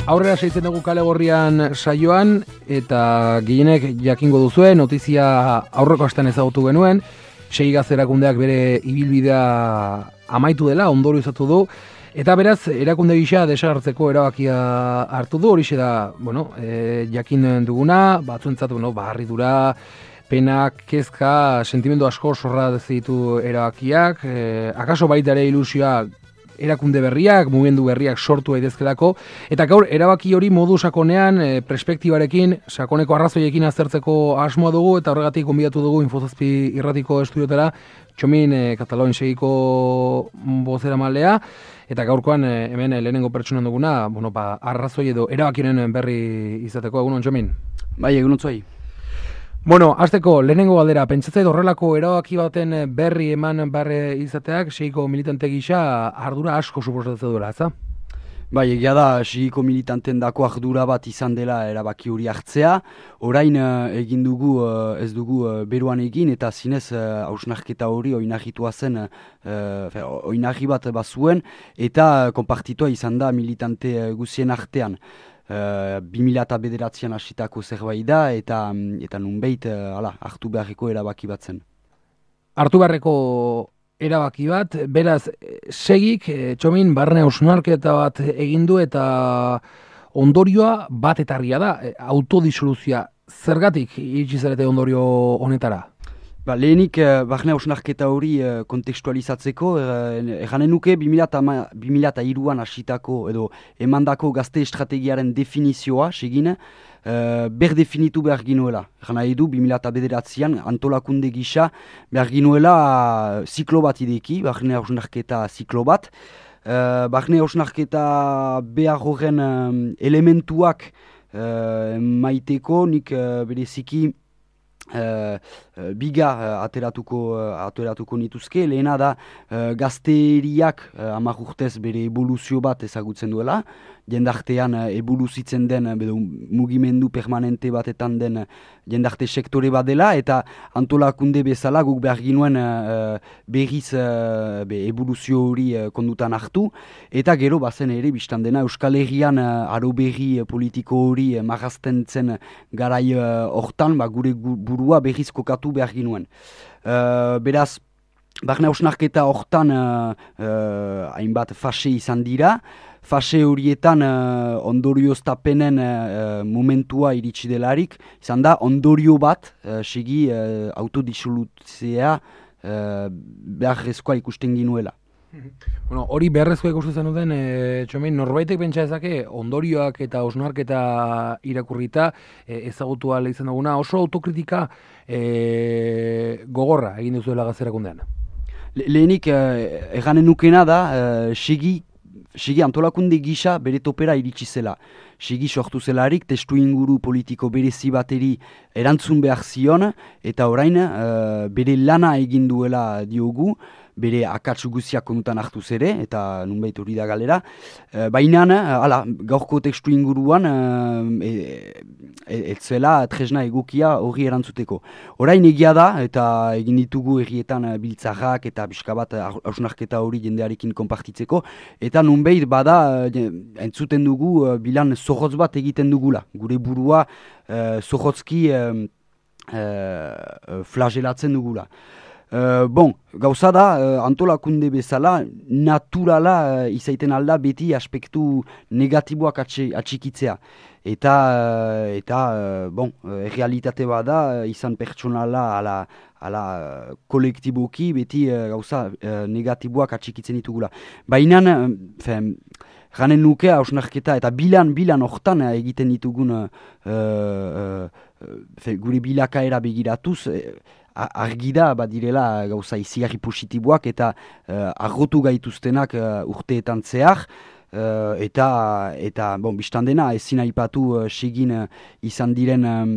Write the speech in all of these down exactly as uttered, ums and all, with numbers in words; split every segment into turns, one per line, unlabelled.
Aurrera seitzen dugu Kale Gorrian saioan, eta gehienek jakingo duzuen, notizia aurreko astean ezagutu genuen, Seigaz erakundeak bere ibilbidea amaitu dela, ondorio izatu du, eta beraz, erakunde gisa desagertzeko erabakia hartu du, horixe da, bueno, e, jakin duguna, batzuentzat, bueno, harridura, penak, kezka, sentimendu asko zorra ditu erabakiak, e, akaso baita ere ilusioa erakunde berriak, mugimendu berriak sortu daitezkelako, eta gaur erabaki hori modu sakonean, e, perspektibarekin, sakoneko arrazoiekin aztertzeko asmoa dugu, eta horregatik gonbidatu dugu Infozazpi irratiko estudiotara, Txomin e, Katalon segiko bozera malea, eta gaurkoan e, hemen e, lehenengo pertsonan duguna, bueno, ba, arrazoi edo erabakiren berri izateko, egunon Txomin?
Bai, egunon zuai.
Bueno, azteko, lehenengo galdera, pentsatzea horrelako erabaki baten berri eman barre izateak, segiko militante gisa ardura asko suposatzen duela, ez da?
Bai, egia da, segiko militanten dako ardura bat izan dela erabaki hori hartzea. Orain egin dugu, ez dugu beruan egin, eta zinez hausnarketa hori oinahitua zen, oinahi bat bazuen, eta konpartitua izan da militante guzien artean. Uh, bi mila bederatzian hasitako zerbait da, eta, eta nunbeit uh, ala, hartu beharreko erabaki bat zen.
Hartu beharreko erabaki bat, beraz, segik, Txomin, barne hausnarketa bat egin du eta ondorioa bat etarria da, autodisoluzioa. Zergatik iritsi zarete ondorio honetara?
Ba, lehenik, eh, barne hausnarketa hori eh, kontekstualizatzeko, erranen nuke bi mila hiruan hasitako edo emandako gazte estrategiaren definizioa, segin, eh, ber definitu behar ginuela. Erran nahi du, bi mila bederatzian antolakunde gisa behar ginuela ziklo bat ideki, barne hausnarketa ziklo bat. Eh, barne hausnarketa behar horren eh, elementuak eh, maiteko, nik eh, bereziki Uh, uh, biga uh, ateratuko, uh, ateratuko nituzke, lehena da uh, gazteriak uh, hamar urtez bere evoluzio bat ezagutzen duela, jendartean uh, evoluzitzen den, uh, mugimendu permanente batetan den uh, jendarte sektore bat dela, eta antolakunde bezala guk behar ginuen uh, berriz uh, be, evoluzio hori uh, kondutan hartu, eta gero bazen ere biztan dena Euskal Herrian uh, aro berri uh, politiko hori uh, marrazten zen garai uh, hortan, ba, gure gu, burua berriz kokatu behar ginuen. Uh, beraz, barne hausnarketa hortan uh, uh, hainbat fase izan dira. Fase horietan uh, ondorioztapenen uh, momentua iritsi delarik, izan da ondorio bat, uh, segi uh, autodisolutzea uh, beharrezkoa ikusten ginuela.
Bueno, hori beharrezkoa ikusten zenuten, e, Txomin, norbaitek pentsa ezake ondorioak eta hausnarketa irakurrita e, ezagutu ahal izan duguna, oso autokritika e, gogorra egin duzuela gazterakundean.
Le, lehenik, eh, erranen nukena da, eh, segi, segi antolakunde gisa bere topera iritsi zela. Segi sortu zelarik, testu inguru politiko berezi bateri erantzun behar zion, eta orain eh, bere lana egin duela diogu, bere akatsu guziak konutan hartu zere, eta nunbait hori da galera. E, Baina, ala, gaurko testu inguruan, e, e, etzela tresna egokia hori erantzuteko. Orain egia da, eta egin ditugu errietan biltzarrak eta pixka bat hausnarketa hori jendearekin konpartitzeko, eta nunbait bada, entzuten dugu, bilan zorrotz bat egiten dugula. Gure burua e, zorrotzki e, e, flagelatzen dugula. Uh, bon, gauza da, uh, antolakunde bezala, naturala uh, izaiten alda beti aspektu negatiboak atxe, atxikitzea. Eta, uh, eta uh, bon, uh, realitate bada, uh, izan pertsonala ala, ala uh, kolektiboki beti uh, gauza uh, negatiboak atxikitzen ditugula. Baina, uh, ganen nuke hausnarketa eta bilan, bilan hortan uh, egiten ditugun uh, uh, uh, gure bilakaera begiratuz, uh, argi da badirela gauza izigarri positiboak eta uh, argotu gaituztenak uh, urteetan zehar, uh, eta, eta bon, biztan dena ezin aipatu uh, segin uh, izan diren um,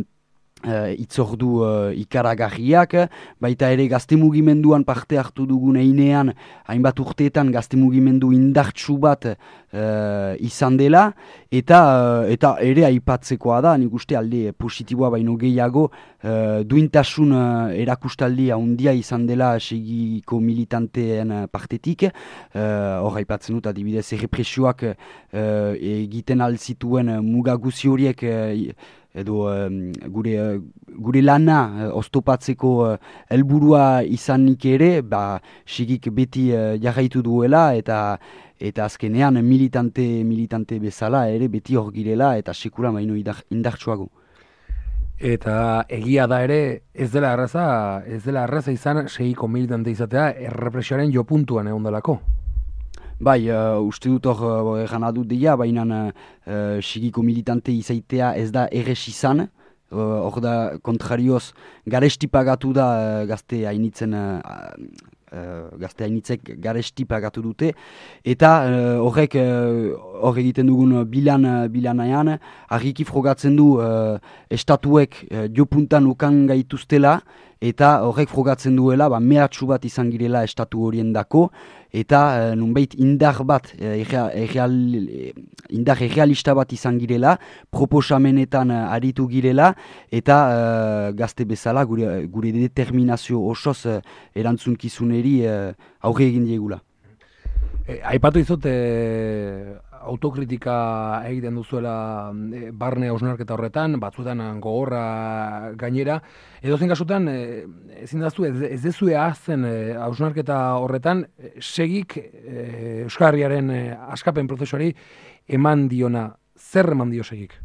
Uh, itzordu uh, ikaragarriak, baita ere gazte mugimenduan parte hartu dugun einean, hainbat urteetan gazte mugimendu indartsu bat uh, izan dela, eta uh, eta ere aipatzekoa da, nik uste alde positiboa baino gehiago, uh, duintasun uh, erakustaldia handia izan dela segiko militanteen partetik, uh, hor aipatzen dut adibidez errepresioak uh, egiten alzituen uh, mugaguzi horiek uh, edo um, gure, uh, gure lana uh, oztopatzeko uh, helburua izanik ere, ba, sigik beti uh, jarraitu duela eta eta azkenean militante militante bezala ere beti hor girela eta sekula baino indartsuago.
Eta egia da ere ez dela erraza, ez dela erraza izan segiko militante izatea errepresioaren jopuntuan egon delako.
Bai, uh, uste dut hor egan uh, adut dira, baina uh, sigiko militante izaitea ez da erres izan, hor uh, da kontrarioz garesti pagatu da uh, gazte hainitzen, uh, uh, gazte hainitzek garesti pagatu dute, eta uh, horrek hor uh, egiten dugun bilan, uh, bilanaean, argiki frogatzen du uh, estatuek uh, jopuntan ukan gaituztela, eta horrek frogatzen duela, ba, mehatxu bat izan girela estatu horien dako, eta uh, nunbait indar bat, uh, erreal, indar errealista bat izan girela, proposamenetan uh, aritu girela, eta uh, gazte bezala gure, gure determinazio osoz uh, erantzunkizuneri uh, aurre egin diegula.
E, aipatu izut, e, autokritika egiten duzuela e, barne hausnarketa horretan, batzuetan gogorra gainera, edo zen kasutan, e, ezin daztu, ez, ez dezue ahazten hausnarketa horretan, segik e, Euskal Herriaren e, askapen prozesuari eman diona, zer eman dio segik?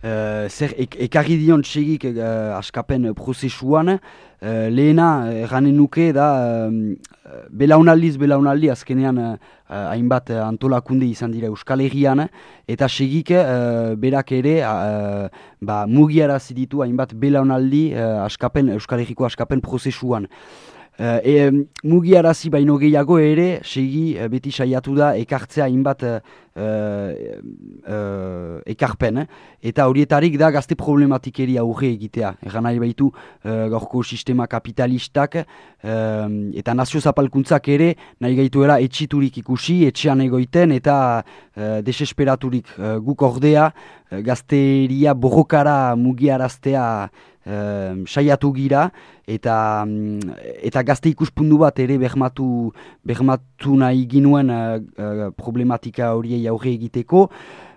Uh, zer ek, ekarri dion segik uh, askapen prozesuan, uh, lehena erranen nuke da uh, belaunaldiz belaunaldi azkenean uh, hainbat uh, antolakunde izan dira Euskal Herrian, eta segik uh, berak ere uh, ba, mugiarazi ditu hainbat belaunaldi uh, askapen, Euskal Herriko askapen prozesuan. Uh, e, mugiarazi baino gehiago ere, segi uh, beti saiatu da ekartzea hainbat uh, uh, ekarpen, eta horietarik da gazte problematikeri aurre egitea. Egan nahi baitu uh, gaurko sistema kapitalistak uh, eta nazio zapalkuntzak ere nahi gaituela etxiturik ikusi, etxean egoiten eta uh, desesperaturik uh, guk ordea uh, gazteria borrokara mugiaraztea Uh, saiatu gira eta eta gazte ikuspundu bat ere bermatu bermatu nahi ginuen uh, uh, problematika horiei aurre egiteko,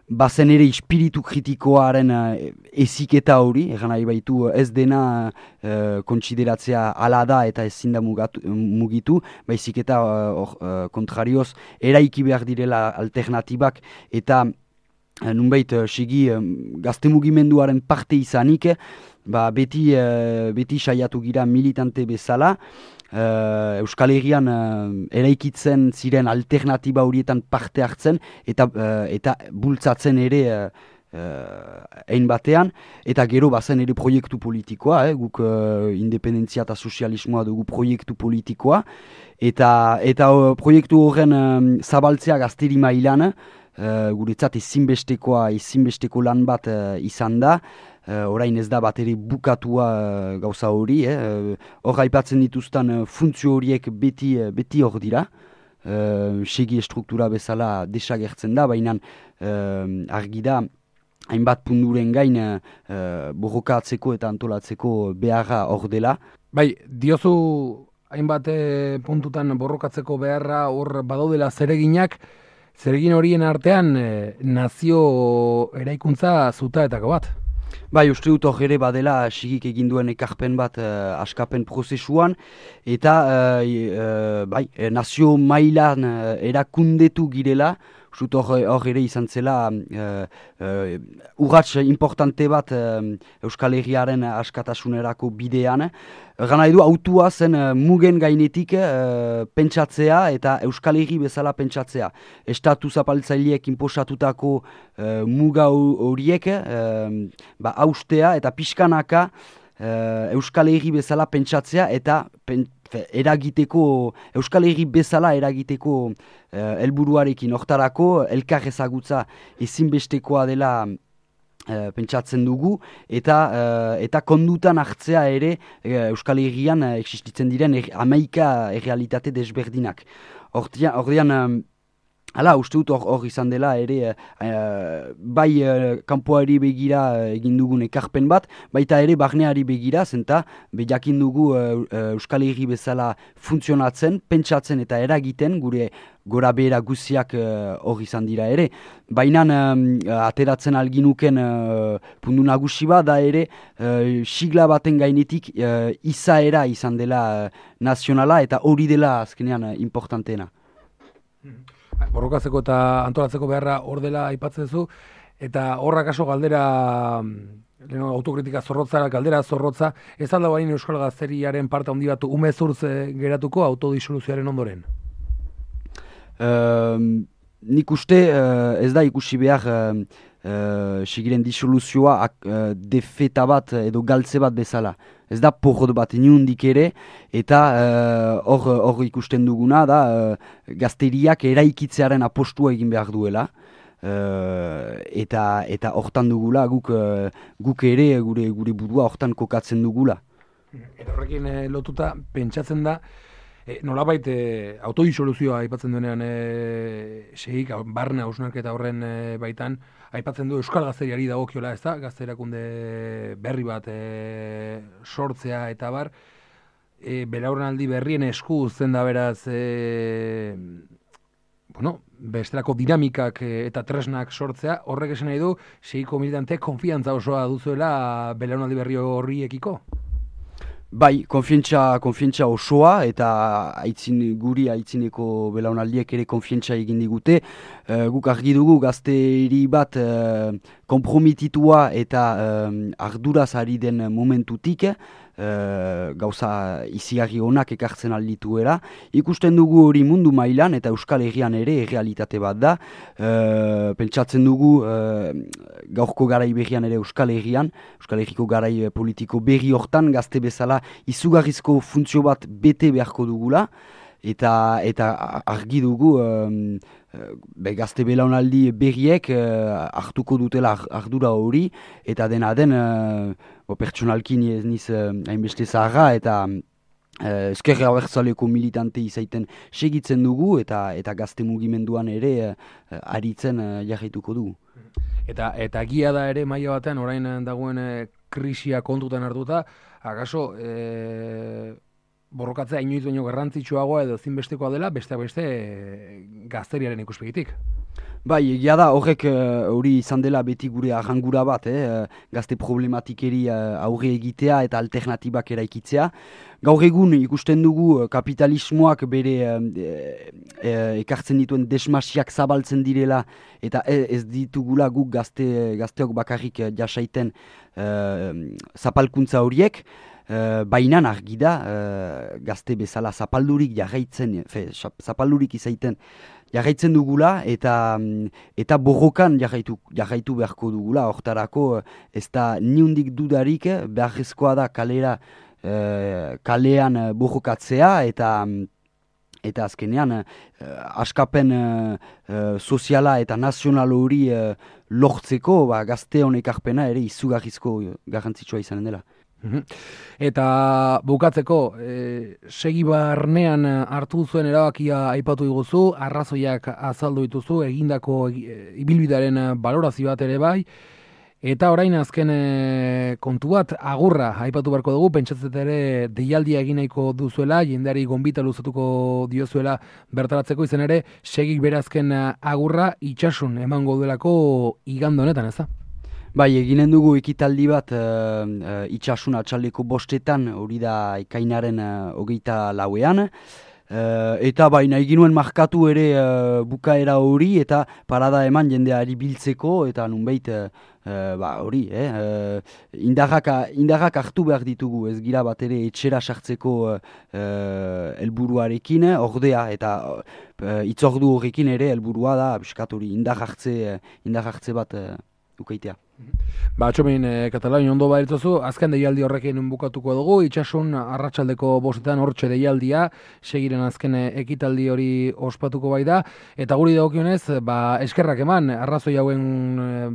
bazen ere espiritu kritikoaren uh, eziketa hori, egan nahi baitu ez dena uh, kontsideratzea ala da eta ezin da mugatu, mugitu, baizik eta uh, uh, kontrarioz eraiki behar direla alternatibak eta uh, nunbait uh, segi uh, gazte mugimenduaren parte izanik, Ba, beti, uh, beti saiatu gira militante bezala, uh, Euskal Herrian uh, eraikitzen ziren alternatiba horietan parte hartzen eta, uh, eta bultzatzen ere uh, uh, ein batean, eta gero bazen ere proiektu politikoa, eh, guk uh, independentzia eta sozialismoa dugu proiektu politikoa, eta, eta uh, proiektu horren um, zabaltzea gazteri mailan, uh, guretzat ezinbestekoa, ezinbesteko lan bat uh, izan da, Uh, orain ez da bat ere bukatua uh, gauza hori, hor eh? aipatzen dituzten uh, funtzio horiek beti, uh, beti hor dira, uh, segi struktura bezala desagertzen da, baina uh, argi da hainbat punduren gain uh, borrokatzeko eta antolatzeko beharra hor dela.
Bai, diozu hainbat puntutan borrokatzeko beharra hor badaudela zereginak, zeregin horien artean eh, nazio eraikuntza zutaetako bat.
Bai, uste dut hor ere badela sigik egin duen ekarpen bat uh, askapen prozesuan, eta uh, uh, bai, nazio mailan uh, erakundetu girela, uste dut hor ere izan zela uh, uh, urrats importante bat uh, Euskal Herriaren askatasunerako bidean. Gana edu autua zen uh, mugen gainetik uh, pentsatzea eta Euskal Herri bezala pentsatzea. Estatu zapaltzaileek inposatutako uh, muga horiek uh, ba, haustea eta pixkanaka uh, Euskal Herri bezala pentsatzea eta pen, fe, eragiteko, Euskal Herri bezala eragiteko helburuarekin uh, hortarako elkar ezagutza ezinbestekoa dela Uh, pentsatzen dugu, eta uh, eta kondutan hartzea ere uh, Euskal Herrian uh, existitzen diren er, hamaika errealitate desberdinak. Ordean, um, hala, uste dut hor izan dela ere, uh, bai uh, kanpoari begira uh, egin dugun ekarpen bat, baita ere barneari begira, zenta jakin dugu uh, uh, Euskal Herri bezala funtzionatzen, pentsatzen eta eragiten, gure gora behera guziak hor uh, izan dira ere. Baina um, ateratzen alginuken uh, pundu nagusi bat da ere uh, sigla baten gainetik uh, izaera izan dela uh, nazionala eta hori dela azkenean uh, importanteena.
Borrokatzeko eta antolatzeko beharra hor dela aipatzen zu, eta horrak aso galdera, leno, autokritika zorrotza, galdera zorrotza, ez alda bain Euskal Gazteriaren parte handi bat umezurtz geratuko autodisoluzioaren ondoren?
Uh, nik uste uh, ez da ikusi behar uh, uh, sigiren disoluzioa uh, defeta bat edo galtze bat bezala. Ez da porrot bat inundik ere, eta hor uh, hor ikusten duguna da uh, gazteriak eraikitzearen apostua egin behar duela. Uh, eta eta hortan dugula guk, uh, guk ere gure gure burua hortan kokatzen dugula.
Eta horrekin eh, lotuta pentsatzen da, E, nolabait e, autodisoluzioa aipatzen duenean e, segik, barne hausnarketa horren e, baitan, aipatzen du Euskal Gazteriari dagokiola, ez da? Gazterakunde berri bat e, sortzea eta bar, e, belaunaldi berrien esku uzten da beraz, e, bueno, bestelako dinamikak e, eta tresnak sortzea, horrek esan nahi du, segiko militanteek konfiantza osoa duzuela belaunaldi berri horriekiko?
Bai, konfientza, konfientza osoa eta aitzin, guri aitzineko belaunaldiek ere konfientza egin digute. Uh, guk argi dugu gazteri bat uh, kompromititua eta uh, arduraz ari den momentutik, uh, gauza izigarri onak ekartzen aldituera. Ikusten dugu hori mundu mailan eta Euskal Herrian ere errealitate bat da. Uh, pentsatzen dugu uh, gaurko garai berrian ere Euskal Herrian, Euskal Herriko garai politiko berri hortan gazte bezala izugarrizko funtzio bat bete beharko dugula, eta eta argi dugu um, be, gazte belaunaldi berriek uh, hartuko dutela ardura hori, eta dena den uh, pertsonalki niz uh, hainbeste zaharra, eta uh, ezkerra abertzaleko militante izaiten segitzen dugu, eta eta gazte mugimenduan ere uh, aritzen uh, jarraituko dugu.
Eta eta gia da ere maila batean orain dagoen e, krisia kontutan hartuta, akaso e, borrokatzea inoiz baino garrantzitsuagoa edo ezinbestekoa dela besteak beste e, gazteriaren ikuspegitik.
Bai, egia da horrek hori uh, izan dela beti gure arrangura bat, eh? Gazte problematikeri uh, aurre egitea eta alternatibak eraikitzea. Gaur egun ikusten dugu kapitalismoak bere uh, e, ekartzen dituen desmasiak zabaltzen direla eta ez ditugula guk gazte, gazteok bakarrik jasaiten uh, zapalkuntza horiek. Uh, Bainan argi da uh, gazte bezala zapaldurik jarraitzen, fe, zapaldurik izaiten jarraitzen dugula eta eta borrokan jarraitu, jarraitu beharko dugula. Hortarako ez da niundik dudarik beharrezkoa da kalera uh, kalean borrokatzea eta eta azkenean uh, askapen uh, uh, soziala eta nazional hori uh, lortzeko ba, gazte honek arpena ere izugarrizko garrantzitsua izanen dela.
Eta bukatzeko, e, segi barnean hartu zuen erabakia aipatu diguzu, arrazoiak azaldu dituzu, egindako e, ibilbidearen balorazio bat ere bai, eta orain azken e, kontu bat, agurra aipatu beharko dugu, pentsatzet ere deialdia egin nahiko duzuela, jendeari gonbita luzatuko diozuela bertaratzeko izan ere, segik berazken agurra itxasun emango duelako igande honetan, ez da?
Bai, eginen dugu ekitaldi bat uh, uh, itxasun atxaldeko bostetan, hori da ekainaren uh, hogeita lauean. Uh, eta baina eginuen markatu ere uh, bukaera hori eta parada eman jendeari biltzeko eta nunbait uh, uh, ba, hori, eh, uh, indarrak, indarrak hartu behar ditugu, ez gira bat ere etxera sartzeko uh, uh, helburuarekin, ordea eta uh, itzordu horrekin ere helburua da, biskat hori indar hartze, indar hartze bat uh, ukaitea.
Ba, Txomin, e, Katalania ondo baritzozu, azken deialdi horrekin bukatuko dugu, itxasun arratsaldeko bostetan hortxe deialdia, segiren azken ekitaldi hori ospatuko bai da, eta guri dagokionez, ba, eskerrak eman, arrazoi hauen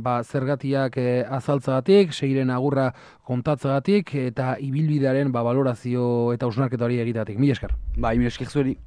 ba, zergatiak e, azaltzagatik, segiren agurra kontatzagatik, eta ibilbidearen ba, valorazio eta ausnarketa hori egitatik. Mila esker.
Ba, mila esker zueri.